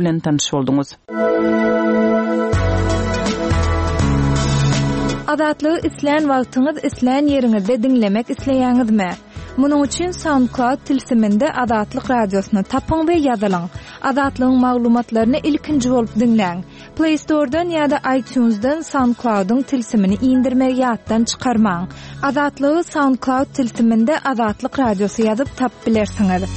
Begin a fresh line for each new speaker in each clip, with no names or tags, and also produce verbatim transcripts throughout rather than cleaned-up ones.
Bilen tanyş bolduňyz.
Azatlygy islän wagtyňyz, islän ýeriňizde diňlemek isleýäňizmi? Munuň üçin SoundCloud tilsiminde Azatlyk radiosyny tapyň we ýazylyň. Azatlygyň maglumatlaryny ilkinji bolup diňläň. Play Store-dan ýa-da iTunes-dan SoundCloud-yň tilsimini indirmegi ýatdan çykarmaň. Azatlygy SoundCloud tilsiminde Azatlyk radiosy ýazyp tapyp bilersiňiz.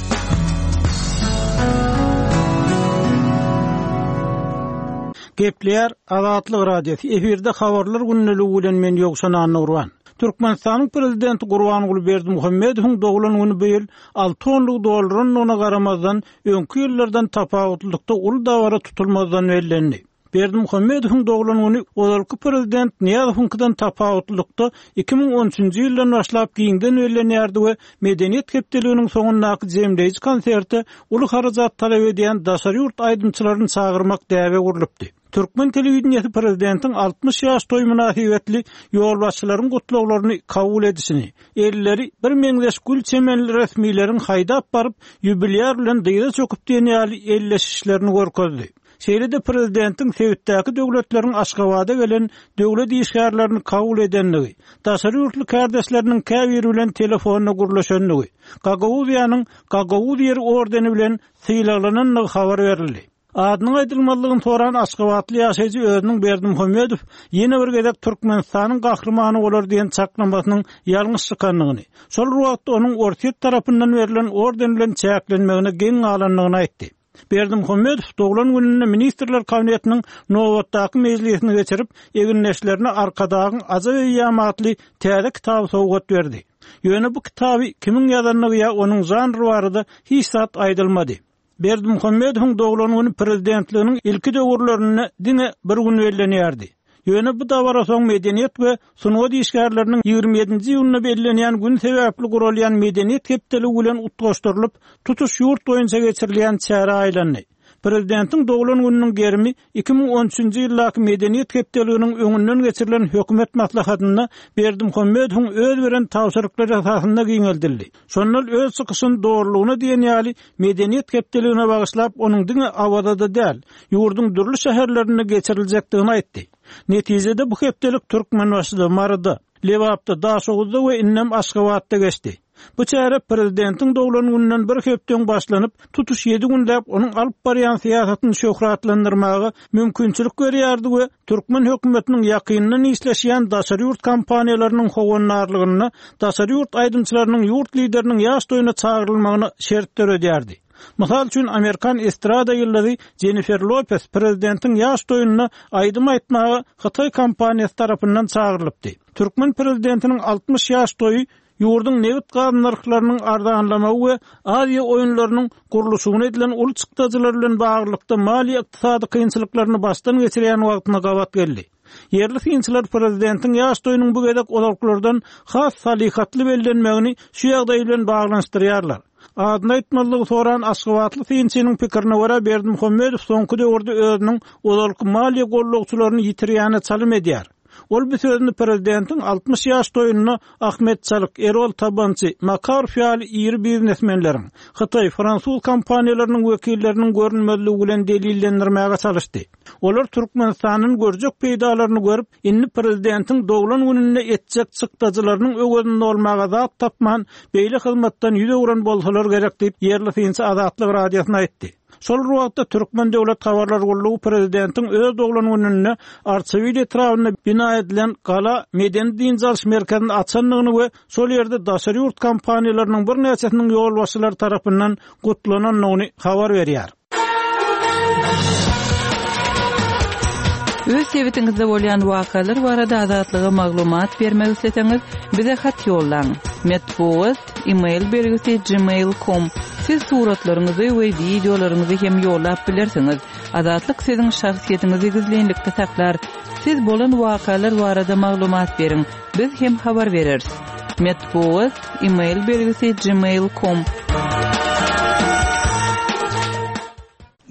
Gepleýär Azatlyk Radiosy. Efirde habarlar gündeligi bilen men Ýowşan Annagurban. Türkmenistanyň prezidenti Gurbanguly Berdimuhamedowyň doglan güni bu ýyl alty onlugy doldurandygyna garamazdan, öňki ýyllardan tapawutlylykda uly dabara tutulmazdan bellendi. Berdimuhamedowyň doglan güni ozalky prezident Nyýazowyňkydan tapawutlylykda iki müň on üçünji ýyldan başlap giňden bellenýärdi we Medeniýet hepdeliginiň soňundaky jemleýji konserte uly harajat talap edýän daşary ýurt aýdymçylaryny çagyrmak däbe gurlupdy. Türkmen telewideniýesi prezidentiň altmyş ýaş toý mynasybetli ýolbaşçylaryň gutlaglaryny kabul edişini, elleri bir meňzeş gül çemenli resmileriň haýdap baryp, ýubilýar bilen dyza çöküp diýen ýaly elleşişlerini görkezdi. Şeýle-de prezidentiň sebitdäki döwletleriň Aşgabada gelen döwlet işgärlerini kabul edendigi, daşary ýurtly kärdeşleriniň käbiri bilen telefonda gürleşendigi, Gagauziýanyň Gagauz ýeri ordeni bilen sylaglanandygy habar berildi. Adynyň aýdylmazlygyny soran aşgabatly ýaşaýjy özüniň Berdimuhamedow ýene bir gezek Türkmenistanyň gahrymany bolar diýen çaklamasynyň ýalňyş çykandygyny, şol bir wagtda onuň Orsýet tarapyndan berlen orden bilen çäklenmegine geň galandygyny aýtdy. Berdimuhamedow doglan gününde Ministrler Kabinetiniň nobatdaky mejlisini geçirip, egindeşlerine Arkadagyň ajap eýýamy atly täze kitaby sowgat berdi. Ýöne bu kitaby kimiň ýazandygy ýa onuň žanry barada hiç zat aýdylmady. Berdimuhamedowyň doglan güni prezidentliginiň ilki döwürlerinde diňe bir gün bellenýärdi. Ýöne bu dabara soň medeniýet we sungat işgärleriniň ýigrimi ýedinji iýunda bellenýän gün sebäpli guralýan medeniýet hepdeligi bilen utgaşdyrylyp, tutuş ýurt boýunça geçirilýän çärä aýlandy. Prezidentiň doglan gününiň gerimi iki müň on üçünji ýyldaky medeniýet hepdeliginiň öňünden geçirilen hökümet maslahatynda Berdimuhamedowyň öz beren tabşyryklary esasynda giňeldildi. Şonda öz çykyşyny dogrulygyna diýen ýaly medeniýet hepdeligine bagyşlap, onuň diňe Awazada däl, ýurduň dürli şäherlerinde geçiriljekdigini aýtdy. Netijede bu hepdelik Türkmenbaşyda, Maryda, Lebapda, Daşoguzda we indem Aşgabatda geçdi. Bu çäre prezidentiň doglan gününden bir hepde öň başlanyp, tutuş ýedi günläp onuň alyp barýan syýasatyny şöhratlandyrmaga mümkinçilik berýärdi we türkmen hökümetiniň ýakyndan işleşýän daşary ýurt kompaniýalarynyň howandarlygynda daşary ýurt aýdymçylarynyň ýurt lideriniň ýaş toýuna çagyrylmagyna şert döredýärdi. Mysal üçin, Amerikan estrada ýyldyzy Jennifer Lopez prezidentiň ýaş toýunda aýdym aýtmaga Hytaý kompaniýasy tarapyndan çagyrylypdy. Türkmen prezidentiniň altmyş ýaş toýy ýurduň nebit gaz nyrhlarynyň arzanlamagy we Aziýa oýunlarynyň gurluşygyna edilen uly çykdajylar bilen baglylykda maliýe-ykdysady kynçylyklaryny başdan geçirýän wagtyna gabat geldi. Ýerli synçylar prezidentiň ýaş toýunyň bu gezek ozalkylardan has salyhatly bellenmegini şu ýagdaý bilen baglanyşdyrýarlar. Adyny aýtmazlygy soran aşgabatly synçynyň pikirine görä Berdimuhamedow soňky döwürde özüniň ozalky maliýe gollagçylaryny ýitirýäne çalym edýär. Ol bu sözüni prezidentiň altmyş ýaş toýunda Ahmet Çalyk, Erol Tabançy, Makarow ýaly iri biznesmenleriň, Hytaý, fransuz kompaniýalarynyň wekilleriniň görünmezligi bilen delillendirmäge çalyşdy. Olar Türkmenistanyň görjek peýdalaryny görüp, indi prezidentiň doglan gününde etjek çykdajylarynyň öwezinde bolmaga zat tapman, beýle hyzmatdan ýüz öwren bolsalar gerek diýip, ýerli synçy Azatlyk radiosyna aýtdy. Şol bir wagtda Türkmen döwlet habarlar gullugy prezidentiň öz doglan gününde Arçabil etrabynda bina edilen Gala medeni dynç alyş merkezini açandygyny we şol ýerde daşary ýurt kompaniýalarynyň birnäçesiniň ýolbaşçylary tarapyndan gutlanandygyny habar berýär.
Öz sebitiňizde bolýan wakalar barada Azatlyga maglumat bermek isleseňiz, bize hat ýollaň. Metbugat, e-mail belgisi gmail nokta com. Siz suratlaryňyzy we wideolaryňyzy hem ýollap bilersiňiz. Azatlyk siziň şahsyýetiňizi gizlinlikde saklar. Siz bolan wakalar barada maglumat beriň. Biz hem habar bereris. Metbugat, e-mail belgisi gmail nokta com.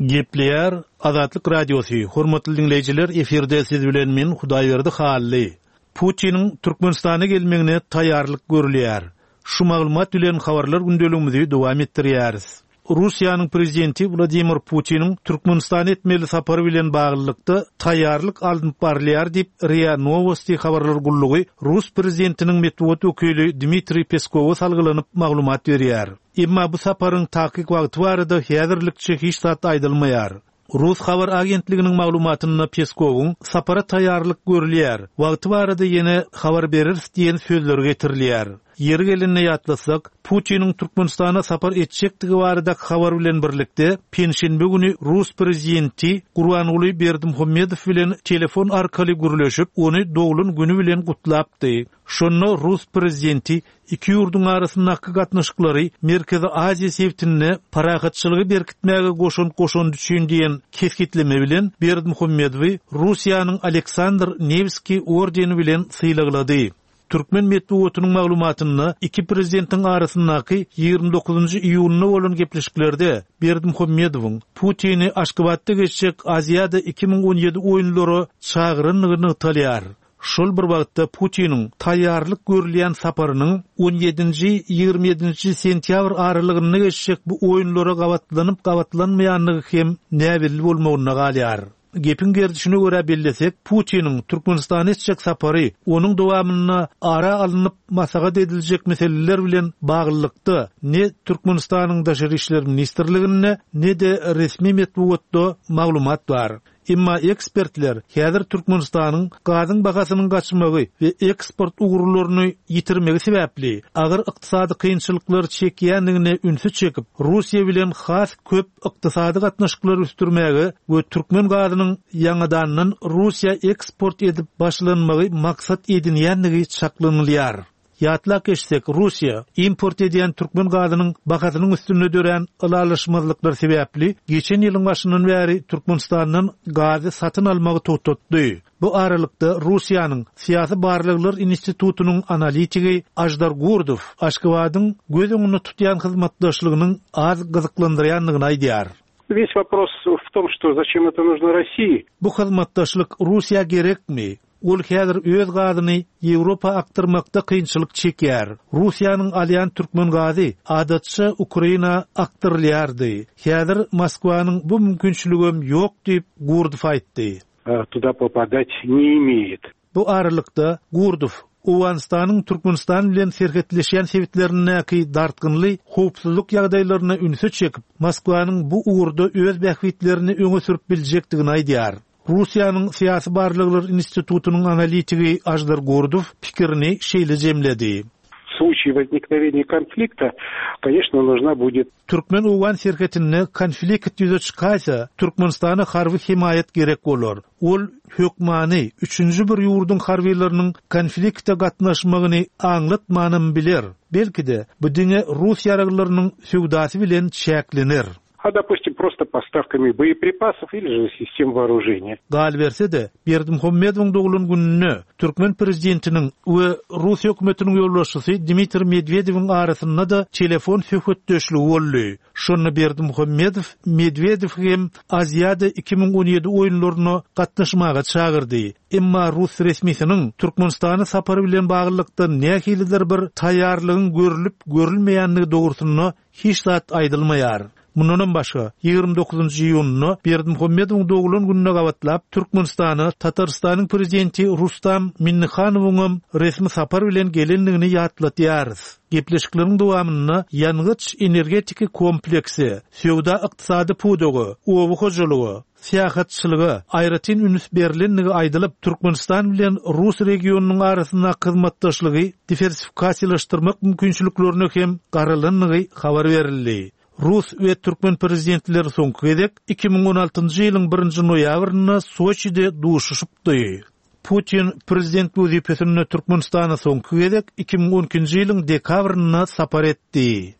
Gepleýär Azatlyk Radiosy. Hormatly dinleýjiler, efirde siz bilen men Hudaýberdi Hally. Putiniň Türkmenistana gelmegine taýýarlyk görülýär. Şu maglumat bilen habarlar gündeligimizi dowam etdirýäris. Russiýanyň prezidenti Wladimir Putiniň Türkmenistana etmeli sapary bilen baglylykda taýýarlyk alnyp barylýar diýip, RIA Nowosti habarlar gullugy rus prezidentiniň metbugat wekili Dmitriý Peskowa salgylanyp maglumat berýär. Emma bu saparyň takyk wagty barada häzirlikçe hiç zat aýdylmaýar. Rus habar agentliginiň maglumatynda Peskowyň sapara taýýarlyk görülýär, wagty barada ýene habar bereris diýen sözleri getirilýär. Ýeri gelende ýatlasak, Putiniň Türkmenistana sapar etjekdigi barada habar bilen birlikde penşenbe güni rus prezidenti Gurbanguly Berdimuhamedow bilen telefon arkaly gürleşip, ony doglan güni bilen gutlapdy. Şonda rus prezidenti iki ýurduň arasyndaky gatnaşyklary Merkezi Aziýa sebitinde parahatçylygy berkitmäge goşant goşandy üçin diýen kesgitleme bilen Berdimuhamedowy Russiýanyň Aleksandr Newski ordeni bilen sylaglady. Türkmen metbugatynyň maglumatynda iki prezidentiň arasyndaky ýigrimi dokuzynjy iýunda bolan gepleşiklerde Berdimuhamedowyň Putini Aşgabatda geçjek Aziada iki müň on ýedi oýunlara çagyrandygy nygtalýar. Şol bir wagtda Putiniň taýýarlyk görülýän saparynyň on ýedinji ýigrimi ýedinji sentýabr aralygynda geçjek bu oýunlara gabatlanyp gabatlanmaýandygy hem näbelli bolmagynda galýar. Gepiň gerdişine görä bellesek, Putiniň Türkmenistana etjek sapary onuň dowamynda ara alnyp maslahat ediljek meseleler bilen baglylykda ne Türkmenistanyň Daşary işler ministrliginde ne-de resmi metbugatda maglumat bar. Emma ekspertler häzir Türkmenistanyň gazyň bahasynyň gaçmagy we eksport ugurlaryny ýitirmegi sebäpli agyr ykdysady kynçylyklar çekýändigine ünsi çekip, Russiýa bilen has köp ykdysady gatnaşyklary ösdürmäge we türkmen gazynyň ýaňadandan Russiýa eksport edip başlanmagy maksat edinýändigi çaklanylýar. Ýatlap geçsek, Russiýa import edýän türkmen gazynyň bahasynyň üstünde dörän ylalaşmazlyklar sebäpli geçen ýylyň başyndan bäri Türkmenistandan gazy satyn almagy togtatdy. Bu aralykda Russiýanyň Syýasy barlaglar institutynyň analitigi Aždar Gurdow Aşgabadyň göz öňünde tutýan hyzmatdaşlygynyň az gyzyklandyrýandygyny aýdýar.
Весь вопрос в том, что зачем это нужно России?
Bu hyzmatdaşlyk Russiýa gerekmi? Ol häzir öz gazyny Ýewropa akdyrmakda kynçylyk çekýär. Russiýanyň alýan türkmen gazy adatça Ukraina akdyrylýardy. Häzir Moskwanyň bu mümkinçiligem ýok diýip Gurdow aýtdy.
Туда попадать не имеет.
Bu aralykda Gurdow Owganystanyň Türkmenistan bilen serhetleşýän sebitlerindäki dartgynly howpsuzlyk ýagdaýlaryna ünsi çekip, Moskwanyň bu ugurda öz bähbitlerini öňe sürüp biljekdigini aýdýar. Russiýanyň Syýasy barlaglar institutynyň analitigi Aždar Gurdow pikirini şeýle jemledi.
В случае возникновения конфликта, конечно, нужна будет
Türkmen-Owgan serhetinde konflikt ýüze çykarsa, Türkmenistana harby himaýat gerek bolar. Ol hökmany üçünji bir ýurduň harbylarynyň konflikte gatnaşmagyny aňlatmanam biler. Belki-de bu diňe Rus ýaraglarynyň söwdasy bilen çäklenir.
А, допустим, просто поставками боеприпасов или же систем вооружения.
Galberse-de, Berdimuhamedowyň doglan gününe Türkmen prezidentiniň we Rus hökümetiniň ýolbaşçysy Dmitriý Medwedewiň arasynda da telefon söhbetdeşligi boldy. Şonda Berdimuhamedow Medwedew hem Aziýada iki müň on ýedi oýunlaryna gatnaşmaga çagyrdy. Emma Rus resmisiniň Türkmenistana sapary bilen baglylykda nähilidir bir taýýarlygyň görülip görülmeýändigi dogrusynda hiç zat aýdylmaýar. Mundanam başga ýigrimi dokuzynjy iýunda Berdimuhamedowyň doglan gününe gabatlap Türkmenistana Tatarystanyň prezidenti Rustam Minnihanowyň resmi sapar bilen gelendigini ýatlatýarys. Gepleşikleriň dowamynda ýangyç energetiki kompleksi, söwda ykdysady pudagy, oba hojalygy, syýahatçylyga aýratyn üns berilendigi aýdylyp, Türkmenistan bilen Rus regionynyň arasynda hyzmatdaşlygy diwersifikasiýalaşdyrmak mümkinçiliklerine hem garalandygy habar berildi. Rus we Türkmen prezidentleri soňky gezek iki müň on altynjy ýylyň birinji noýabrynda Soçide duşuşypdy. Putin prezident wezipesinde Türkmenistana soňky gezek iki müň on ikinji ýylyň dekabrynda sapar etdi.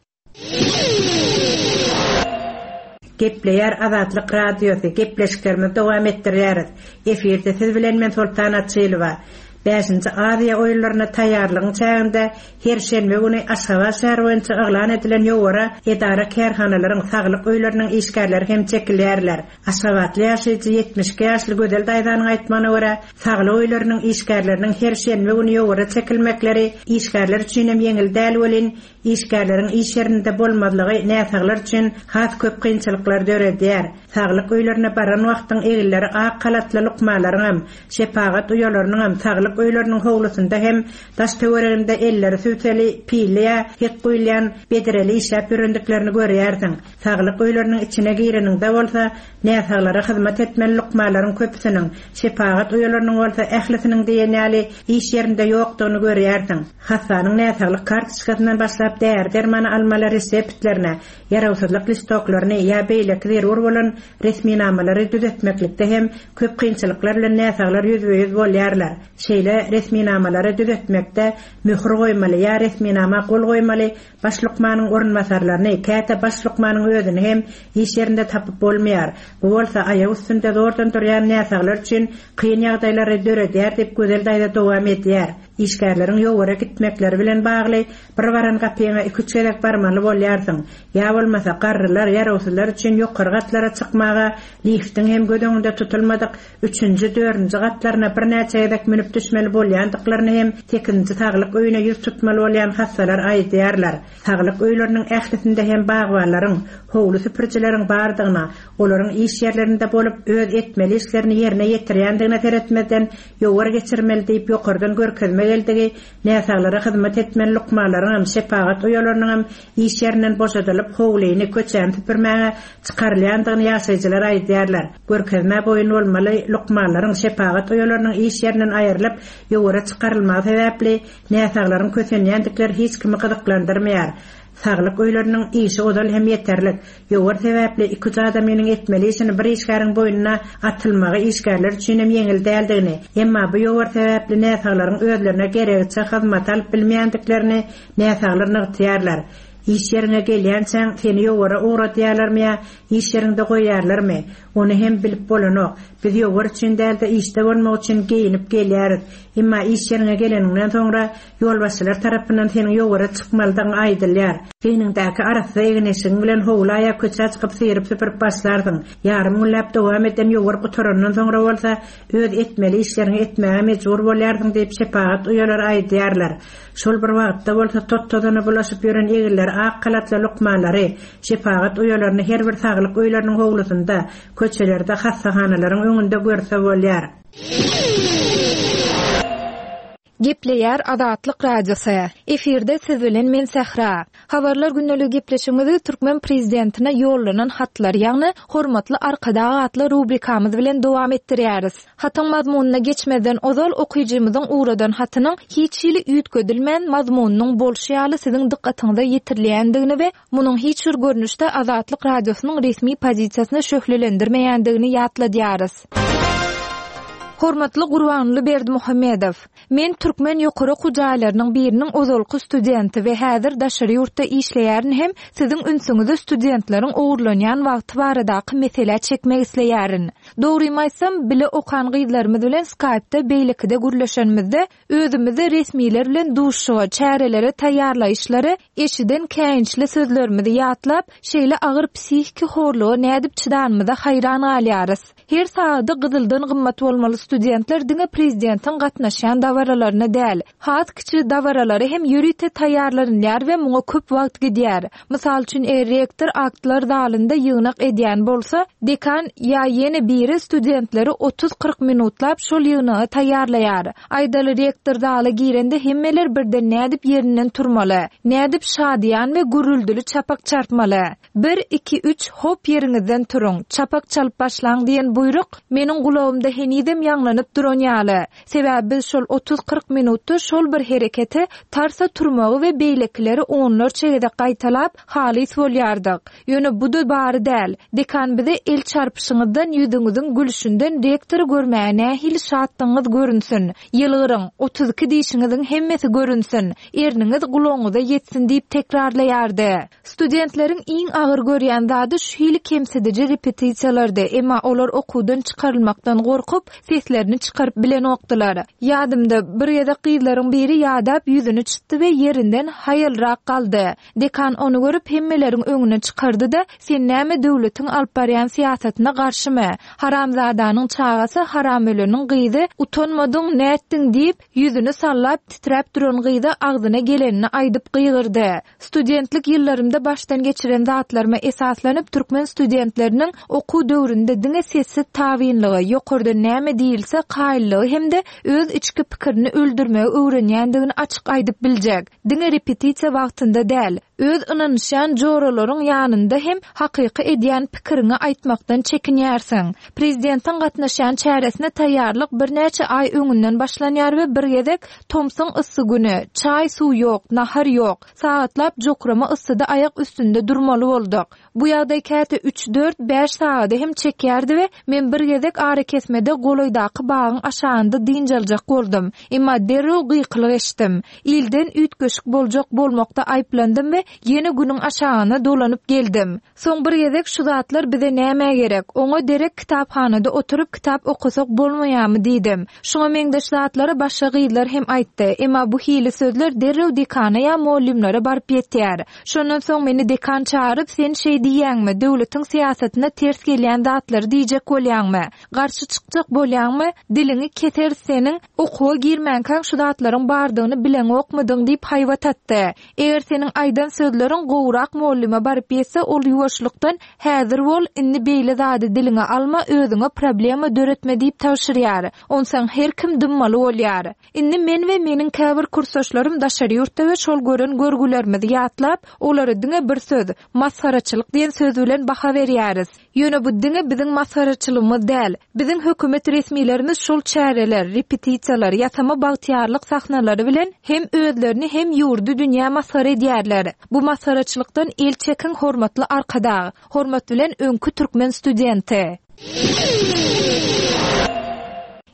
Gepleýär Azatlyk Radiosy, gepleşiklerimizi dowam etdirýäris. Efirde siz bilen men Sultan Açylowa. Bäşinji Aziýa oýunlaryna taýýarlygyň çäginde her şenbe güni Aşgabat şäheri boýunça yglan edilen ýowara edara kärhanalaryň saglyk öýleriniň işgärleri hem çekilýärler. Aşgabatly ýaşaýjy ýetmiş iki ýaşly Gözel daýzanyň aýtmagyna görä, saglyk öýleriniň işgärleriniň her şenbe güni ýowara çekilmekleri işgärler üçin hem ýeňil däl welin, işgärleriň iş ýerinde bolmazlygy näsaglar üçin has köp kynçylyklar döredýär. Saglyk öýlerine baran wagtyň eginleri ak halatly lukmanlaryň hem, şepagat uýalarynyň hem saglyk öýleriniň howlusynda hem daş töwereginde elleri sübseli, pilli ýa hek guýulýan bedreli işläp ýörendiklerini görýärsiň. Saglyk öýleriniň içine gireniňde bolsa, näsaglara hyzmat etmeli lukmanlaryň köpüsiniň, şepagat uýalarynyň bolsa ählisiniň diýen ýaly iş ýerinde ýokdugyny görýärsiň. Hassanyň näsaglyk kartoçkasyndan başlap däri dermany almaly reseptlerine, ýarawsyzlyk listoklaryny ýa beýleki zerur bolan resminamalary düzetmeklikde hem köp kynçylyklar bilen näsaglar ýüzbe-ýüz bolýarlar. Şeýle resminamalary düzetmekde möhür goýmaly ýa resminama gol goýmaly baş lukmanyň orunbasarlaryny, käte baş lukmanyň özüni hem iş ýerinde tapyp bolmaýar. Bu bolsa aýak üstünde zordan durýan näsaglar üçin kyn ýagdaýlary döredýär diýip Gözel daýza dowam edýär. Işgärleriň ýowara gitmekleri bilen bagly bir baran gapyňa iki-üç gezek barmaly bolýarsyň. Ýa bolmasa garrylar, ýarawsyzlar üçin ýokary gatlara çykmaga liftiň hem göz öňünde tutulmadyk üçünji, dördünji gatlaryna birnäçe gezek münüp düşmeli bolýandyklaryny hem sekizinji saglyk öýüne ýüz tutmaly bolýan hassalar aýdýarlar. Saglyk öýleriniň ählisinde hem bagbanlaryň, howly süpürjileriň bardygyna, olaryň iş ýerlerinde bolup öz etmeli işlerini ýerine ýetirýändigine seretmezden ýowar geçirmeli diýip ýokardan görkezme geldigi, näsaglara hyzmat etmeli lukmanlaryň hem şepagat uýalarynyň hem iş ýerinden boşadylyp howlyny, köçäni süpürmäge çykarylýandygyny ýaşaýjylar aýdýarlar. Görkezme boýun bolmaly lukmanlaryň şepagat uýalarynyň iş ýerinden aýrylyp ýowara çykarylmagy sebäpli näsaglaryň kösenýändikleri hiç kimi gyzyklandyrmaýar. Saglyk öýleriniň işi ozal hem ýeterlik. Ýowar sebäpli iki-üç adamynyň etmeli işini bir işgäriň boýnuna atylmagy işgärler üçin hem ýeňil däldigini, emma bu ýowar sebäpli näsaglaryň özlerine geregiçe hyzmat alyp bilmeýändiklerini näsaglar nygtaýarlar. Iş ýerine gelýänçäň seni ýowara ugradýarlarmy ýa iş ýerinde goýýarlarmy? Ony hem bilip bolanok. Biz ýowar üçin däl-de işde bolmak üçin geýinip gelýäris. Emma iş ýerine geleniňden soňra ýolbaşçylar tarapyndan seniň ýowara çykmalydygyň aýdylýar. Geýniňdäki arassa egin-eşigiň bilen howla ýa köçä çykyp syryp süpürip başlarsyň. Ýarym günläp dowam eden ýowar gutarandan soňra bolsa öz etmeli işleriňi etmäge mejbur bolýarsyň diýip şepagat uýalary aýdýarlar. Şol bir wagtda bolsa tot-tozana bulaşyp ýören eginleri ak halatly lukmanlary, şepagat uýalaryny her bir saglyk öýleriniň howlusynda, köçelerde, hassahanalaryň öňünde görse bolýar.
Gepleýär Azatlyk Radiosy. Efirde siz bilen men Sähra. Habarlar gündelik gepleşigimizi Türkmen prezidentine ýollanan hatlar, ýagny Hormatly Arkadag atly rubrikamyz bilen dowam etdirýäris. Hatyň mazmunyna geçmezden ozal okyjymyzyň ugradan hatynyň hiç hili üýtgedilmän mazmunynyň bolşy ýaly siziň dykgatyňyza ýetirilýändigini we munuň hiç bir görnüşde Azatlyk Radiosynyň resmi pozisiýasyny şöhlelendirmeýändigini ýatladýarys. Hormatly Gurbanguly Berdimuhamedow, men türkmen ýokary okuw jaýlarynyň biriniň ozalky studenti we häzir daşary ýurtda işleýärin hem siziň ünsüňizi studentleriň ogurlanýan wagty baradaky meselä çekmek isleýärin. Dogrymy aýtsam, bile okan gyzlarymyz bilen Skype-da beýlekide gürleşenimizde özümizi resmiler bilen duşuşyga, çärelere taýýarlaýyşlary, eşiden käýinçli sözlerimizi ýatlap, şeýle agyr psihiki horluga nädip çydanymyza haýran galýarys. Her saady gyzyldan gymmat bolmaly studentler diňe prezidentiň gatnaşýan dabaralaryna däl, has kiçi dabaralara hem ýörite taýýarlanylýar we muňa köp wagt gidýär. Mysal üçin, eger rektor aktlar zalynda ýygnak edýän bolsa, dekan ýa ýene biri studentleri otuz-kyrk minutlap şol ýygnaga taýýarlaýar. Aýdaly rektor zala girende hemmeler birden nädip ýerinden turmaly, nädip şadyýan we gürrüldili çapak çarpmaly. Bir, iki, üç, hop ýeriňizden turuň, çapak çalyp başlaň diýen buýruk meniň gulagymda henizem ýaňlanyp duran ýaly. Sebäbi biz şol otuz-kyrk minutda şol bir hereketi tarsa turmagy we beýlekileri onlarça gezek gaýtalap halys bolýardyk. Ýöne bu da bary däl. Dekan bize el çarpyşyňyzdan, ýüzüňiziň gülüşinden rektory görmäge nähili şatlygyňyz görünsün. Ýylgyryň, otuz iki dişiňiziň hemmesi görünsün. Erniňiz gulagyňyza ýetsin diýip tekrarlaýardy. Studentleriň iň agyr görýän zady şu hili kemsidiji repetisiýalardy, emma olar okuwdan çykarylmakdan gorkup, seslerini seslerini çykaryp bilenokdylar. Ýadymda, bir gezek gyzlaryň biri ýadap ýüzüni çytdy we ýerinden haýalrak galdy. Dekan ony görüp hemmeleriň öňüne çykardy-da, sen näme döwletiň alyp barýan syýasatyna garşymy? Haramzadanyň çagasy, haramöleniň gyzy, utanmadyň, nätdiň diýip, ýüzüni sallap titräp duran gyza agzyna gelenini aýdyp gygyrdy. Studentlik ýyllarymda başdan geçiren zatlaryma esaslanyp türkmen studentleriniň okuw döwründe diňe sessiz tabynlygy, ýokardan näme diýilse kaýyllygy hem-de öz içki pikirini öldürmegi öwrenýändigini açyk aýdyp biljek. Diňe repetisiýa wagtynda däl, öz ynanyşýan joralaryň ýanynda hem hakyky edýän pikiriňi aýtmakdan çekinýärsiň. Prezidentiň gatnaşýan çäresine taýýarlyk birnäçe aý öňünden başlanýar we bir gezek tomsuň yssy güni, çaý suw ýok, nahar ýok, sagatlap jokrama yssyda aýak üstünde durmaly bolduk. Bu ýagdaý käte üç, dört, bäş sagada hem çekýärdi we men bir gezek ara kesmede golaýdaky bagyň aşagynda dynç aljak boldum. Emma derrew gykylyk eşitdim. Ilden üýtgeşik boljak bolmakda aýyplandym we ýene günüň aşagyna dolanyp geldim. Soň bir gezek şu zatlar bize näme gerek? Oňa derek kitaphanada oturyp kitap okusak bolmaýarmy diýdim. Şoňa meňzeş zatlary başga gyzlar hem aýtdy. Emma bu hili sözler derrew dekana ýa muallimlere baryp ýetýär. Şondan soň meni dekan çağırıp, sen şeý diýýäňmi? Döwletiň syýasatyna ters gelýän zatlary diýjek bolýaňmy? Garşy çykjak bolýaňmy? Diliňi keser seniň, okuwa girmänkäň şu zatlaryň bardygyny bileňokmydyň diýip haýbat atdy. Eger seniň aýdan sözleriň gowrak muallime baryp ýetse, ol ýuwaşlykdan häzir bol, indi beýle zady diliňe alma, özüňe problema döretme diýip tabşyrýar. Onsoň her kim dymmaly bolýar. Indi men we meniň käbir kursdaşlarym daşary ýurtda we şol gören görgülerimizi ýatlap, olary diňe bir söz, masgaraçylyk diýen söz bilen baha berýäris. Ýöne bu diňe biziň masgaraçylygymyz däl. Biziň hökümet resmilerimiz şol çäreler, repetisiýalar, ýasama bagtyýarlyk sahnalary bilen hem özlerini hem ýurdy dünýä masgara edýärler. Bu masgaraçylykdan el çekiň hormatly arkadag. Hormat bilen öňkü türkmen studenti.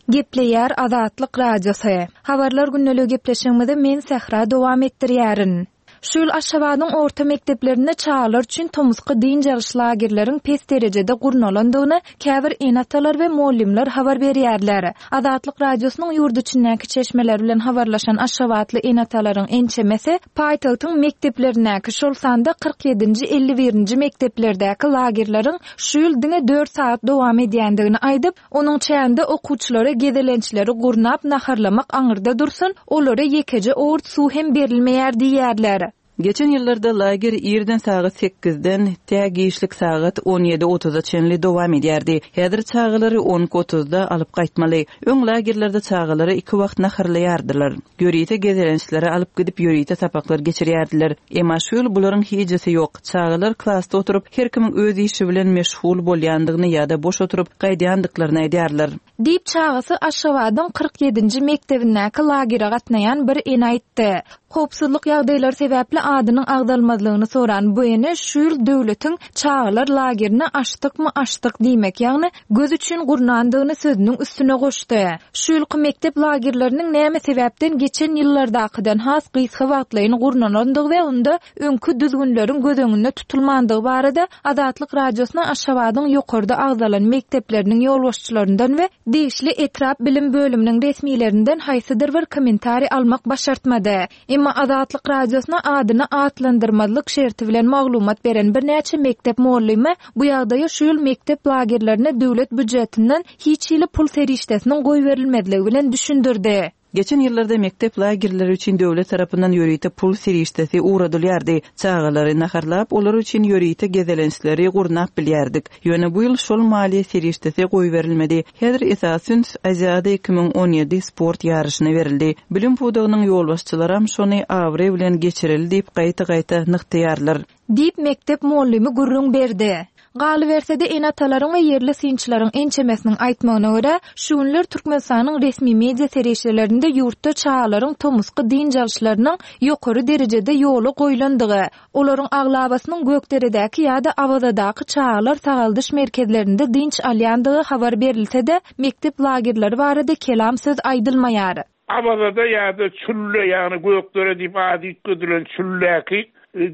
Gepleýär Azatlyk Radiosy. Habarlar gündelik gepleşigimizi men Sähra dowam etdirýärin. Şu ýyl Aşgabadyň orta mekdeplerinde çagalar üçin tomusky dynç alyş lagerleriň pes derejede gurnalandygyny käbir ene-atalar we muallimler habar berýärler. Azatlyk Radiosynyň ýurt içindäki çeşmeler bilen habarlaşan Aşgabatly ene-atalaryň ençemesi paýtagtyň mekdeplerindäki şol sanda kyrk ýedinji, elli birinji mekdeplerdäki lagerleriň şu ýyl diňe dört sagat dowam edýändigini aýdyp, onuň çäginde okuwçylara gezelençleri gurnap naharlamak aňyrda dursun, olara ýekeje owurt suw hem berilmeýär diýýärler.
Geçen ýyllarda lager irden sagat sekizden tä giçlik sagat on ýedi otuza çenli dowam edýärdi. Häzir çagalary on iki otuzda alyp gaýtmaly. Öň lagerlerde çagalary iki wagt naharlaýardylar. Ýörite gezelençlere alyp gidip ýörite sapaklar geçirýärdiler. Emma şu ýyl bularyň hijesi ýok. Çagalar klasda oturyp her kimiň öz işi bilen meşgul bolýandygyny ýa-da boş oturyp gaýdýandyklaryny aýdýarlar.
Diýip çagasy Aşgabadyň kyrk ýedinji mekdebindäki lagere gatnaýan bir ene aýtdy. Howpsuzlyk ýagdaýlary sebäpli adynyň agzalmazlygyny soran bu ene şu ýyl döwletiň çagalar lagerine açdykmy açdyk diýmek, ýagny göz üçin gurnandygyny sözüniň üstüne goşdy. Şu ýylky mekdep lagerleriniň näme sebäpden geçen ýyllardakydan has gysga wagtlaýyn gurnalandygy we onda öňkü düzgünleriň göz öňünde tutulmandygy barada Azatlyk Radiosyna Aşgabadyň ýokarda agzalan mekdepleriniň ýolbaşçylaryndan we degişli etrap bilim bölüminiň resmilerinden haýsydyr bir kommentariý almak başartmady. Emma Azatlyk Radiosyna adyny atlandyrmazlyk şerti bilen maglumat beren birnäçe mekdep muallimi bu ýagdaýy şu ýyl mekdep lagerlerine döwlet býujetinden hiç hili pul serişdesiniň goýberilmezligi bilen düşündirdi.
Geçen ýyllarda mekdep lagerleri üçin döwlet tarapyndan ýörite pul serişdesi ugradylýardy. Çagalary naharlap, olar üçin ýörite gezelençleri gurnap bilýärdik. Ýöne bu ýyl şol maliýe serişdesi goýberilmedi. Häzir esasy üns Aziada iki müň on ýedi sport ýaryşyna berildi. Bilim pudagynyň ýolbaşçylaram şony abraý bilen geçirildi diýip gaýta-gaýta nygtaýarlar.
Diýip mekdep muallimi gürrüň berdi. Galyberse-de ene-atalaryň we ýerli synçylaryň ençemesiniň aýtmagyna görä, şu günler Türkmenistanyň resmi media serişdelerinde ýurtda çagalaryň tomusky dynç alyşlarynyň ýokary derejede ýola goýlandygy, olaryň aglabasynyň Gökderedäki ýa-da Awazadaky çagalar sagaldyş merkezlerinde dynç alýandygy habar berilse-de, mekdep lagerleri barada kelam söz aýdylmaýar.
Awazada ýa-da Çülle, ýagny Gökdere diýip ady üýtgedilen Çülläki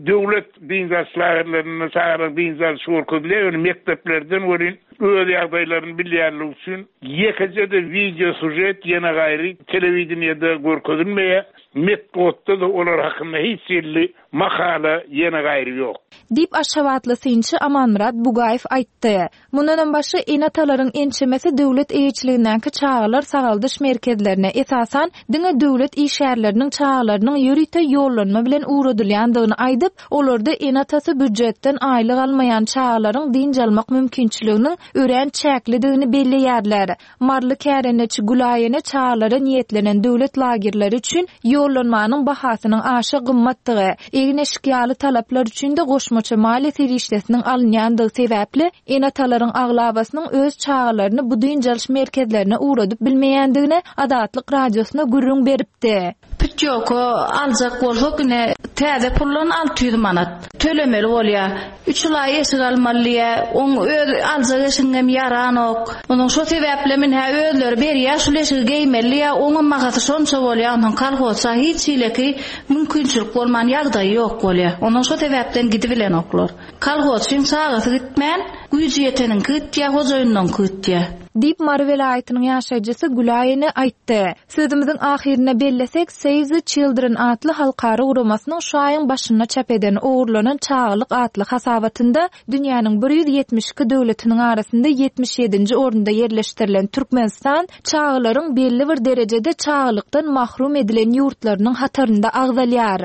döwlet dynç alyş lagerlerinde çagalar dynç alyş görkezilýär, ýöne mekdeplerden welin Öz ýagdaýlaryny bilýänligi üçin ýekeje-de wideo sujet ýene gaýry telewideniýede görkezilmeýär. Metbugatda-da olar hakynda hiç hili makala ýene gaýry ýok.
Diýip Aşgabatly synçy Amanmyrat Bugaýew aýtdy. Mundanam başga ene-atalaryň ençemesi döwlet eýeçiligindäki çagalar sagaldyş merkezlerine esasan diňe döwlet işgärleriniň çagalarynyň ýörite ýollanma bilen ugradylýandygyny aýdyp, olarda ene-atasy býujetden aýlyk almaýan çagalaryň dynç almak mümkinçiliginiň örän çäklidigini belleýärler. Maryly kärendeçi Gülaýene çagalara niýetlenen döwlet lagerleri üçin ýollanmanyň bahasynyň aşa gymmatdygy, egin-eşik ýaly talaplar üçin-de goşmaça maliýe serişdesiniň alynýandygy sebäpli ene-atalaryň aglabasynyň öz çagalaryny bu dynç alyş merkezlerine ugradyp bilmeýändigini Azatlyk Radiosyna gürrüň beripdi.
Pütýoka aljak bolsak ine täze puldan alty ýüz manat tölemeli bolýar. Üç aý eşik almaly diýä, oň öz aljak eşigem ýaranok. Onuň şo sebäple men hä özleri berýär şul eşigi geýmeli diýä, oňam bahasy şonça bolýar, onuň kolhozça hiç hileki mümkinçilik bolman ýagdaýy ýok bolýar. Onuň şo sebäpden gidibilenoklar. Kolhozçyň çagasy gitmän, güýji ýeteniňki gitýär, hojaýynyňky gitýär.
Diýip Mary welaýatynyň ýaşaýjysy Gülaýene aýtdy. Sözümiziň ahyrynda bellesek, Save the Children atly halkara guramasynyň şu aýyň başynda çap eden ogurlanan çagalyk atly hasabatynda dünýäniň bir ýüz ýetmiş iki döwletiniň arasynda ýetmiş ýedinji orunda ýerleşdirilen Türkmenistan çagalaryň belli bir derejede çagalykdan mahrum edilen ýurtlarynyň hatarynda agzalýar.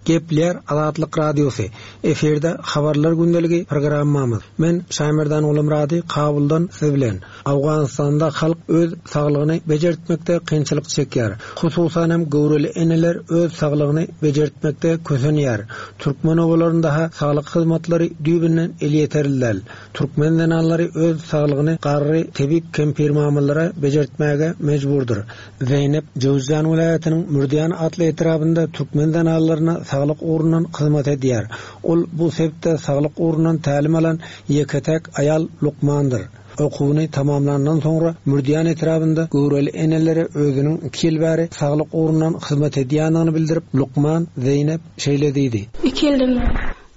Gepler Azatlyk Radiosy efirde habarlar gündeligi programmamyz. Men Şaýmerdan Gulumrady Kabuldan siz bilen. Awganystanda halk öz saglygyny bejertmekde kynçylyk çekýär. Hususan hem göwreli eneler öz saglygyny bejertmekde kösenýär. Türkmen obalarynda ha saglyk hyzmatlary düýbünden elýeterli däl. Türkmen zenanlary öz saglygyny garry tebip kempir mamalara bejertmäge mejburdyr. Zeynep Jowzjan welaýatynyň Mürdýan atly etrabynda türkmen zenanlaryna saglyk ugrundan hyzmat edýär. Ol bu sebitde saglyk ugrundan tälim alan ýeke-tek aýal lukmandyr. Okuwyny tamamlandan soňra Mürdýan etrabynda göwreli enelere özüniň iki ýyl bäri saglyk ugrundan hyzmat edýändigini bildirip, lukman Zeynep şeýle diýdi.
Iki ýyldan bäri.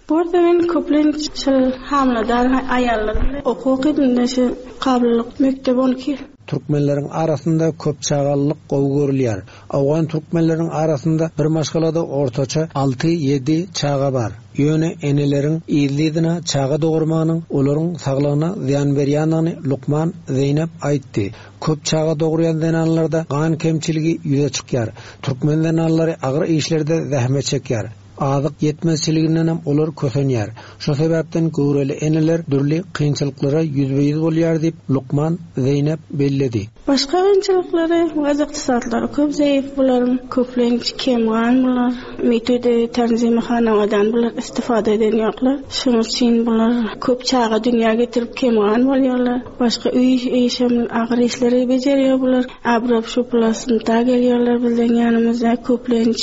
Burada men köplenç şol hamyladar aýallar bilen okuw okadym, şu kabullyk mekdep on iki.
Türkmenleriň arasynda köp çagalylyk gowy görülýär. Awgan türkmenleriň arasynda bir maşgalada ortaça alty ýedi çaga bar. Ýöne eneleriň yzly-yzyna çaga dogurmagynyň olaryň saglygyna zyýan berýändigini lukman Zeynep aýtdy. Köp çaga dogurýan zenanlarda gan kemçiligi ýüze çykýar. Türkmen zenanlary agyr işlerde zähmet çekýär. Azyk ýetmezçiliginden hem olar kösenýär. Şo sebäpden göwreli eneler dürli kynçylyklara ýüzbe-ýüz bolýar diýip lukman Zeynep belledi.
Başga kynçylyklary, waz ykdysatlary köp zeýif bularyň, köplenç kemgan bular, metode tanzimi hanamadan bular istifade eden ýoklar. Şonuň üçin bular köp çaga dünýä getirip kemgan bolýarlar. Başga öý işem agyr işleri bejerýär bular. Abrap şu plasynda gelýärler bizden ýanymyzda köplenç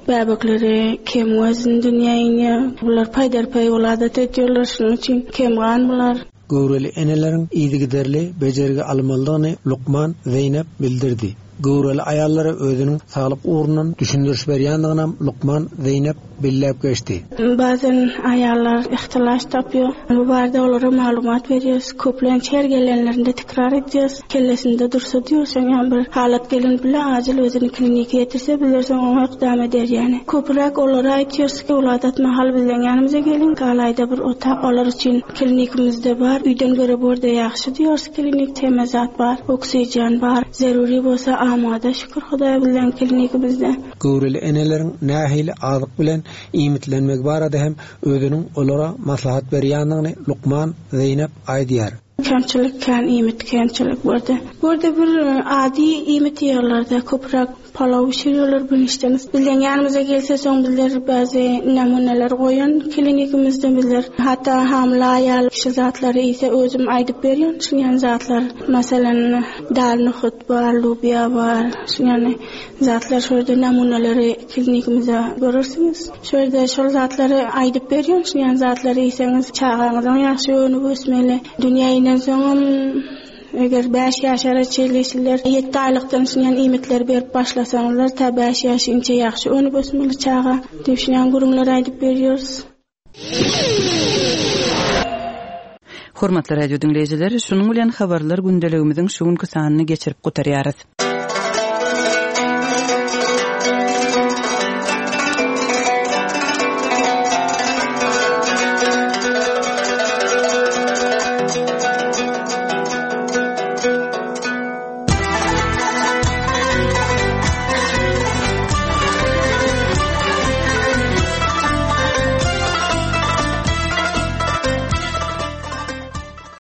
bäbekleri kem wazn dünýä inýär. Bular paýdarpaý weladat edýärler, şonuň üçin kemgan bular.
Göwreli eneleriň yzygiderli bejergi almalydygyny lukman Zeynep bildirdi. Göwreli aýallara özüniň saglyk ugrundan düşündiriş berýändigini lukman Zeynep belläp geçdi.
Bazen aýallar ihtilaş tapýar. Bu barada olara maglumat berýäs. Köplenç her gelenlerinde tekrar edýäs. Kellesinde dursa diýýär, ýa bir halat gelen bile acil özüni klinike ýetirse, bilersen oňa ykdam eder ýani. Köpräk olara aýtýarys ki, weladat mahal bilen ýanymyza gelin, galaýda bir otag olar üçin klinikimizde bar. Üýden göre borda ýagşy diýýäs, klinik temizat bar, oksigen bar. Zeruri bolsa amada şükür Hudaýa bilen klinikimizde.
Göwreli eneleriň nähili azyk bilen iýmitlenmek barada hem özüniň olara maslahat berýändigini lukman Zeynep aýdýar.
Kemçilik kän iýmit kemçilik bardy. Burada bir adi iýmit ýerlerde köpräk palaw bişiriyorlar bünüşden. Bizden ýanymyza gelse soň bizler bäzi namuneler goýan klinikimizde bizler hatda hamyla aýal şu zatlary ise özüm aýdyp berýän şunýan zatlar. Masalan, dal nohut bar, lubya bar, şunýan zatlar şurada namuneleri klinikimizde görürsüňiz. Şurada şol zatlary aýdyp berýän şunýan zatlary iýseňiz çagaňyzyň ýagşy önüp ösmeli. Dünýä inen soňam eger bäş ýaşara çenli ýedi aýlykdan şunýan iýmitleri berip başlasaňyzlar, ta bäş ýaşynça ýagşy önüp ösmeli çaga. Diýip şunýan gürrüňler aýdyp berýäris.
Hormatly radio diňleýjiler, şunuň bilen habarlar gündeligimiziň şu günki sanyny geçirip gutarýarys.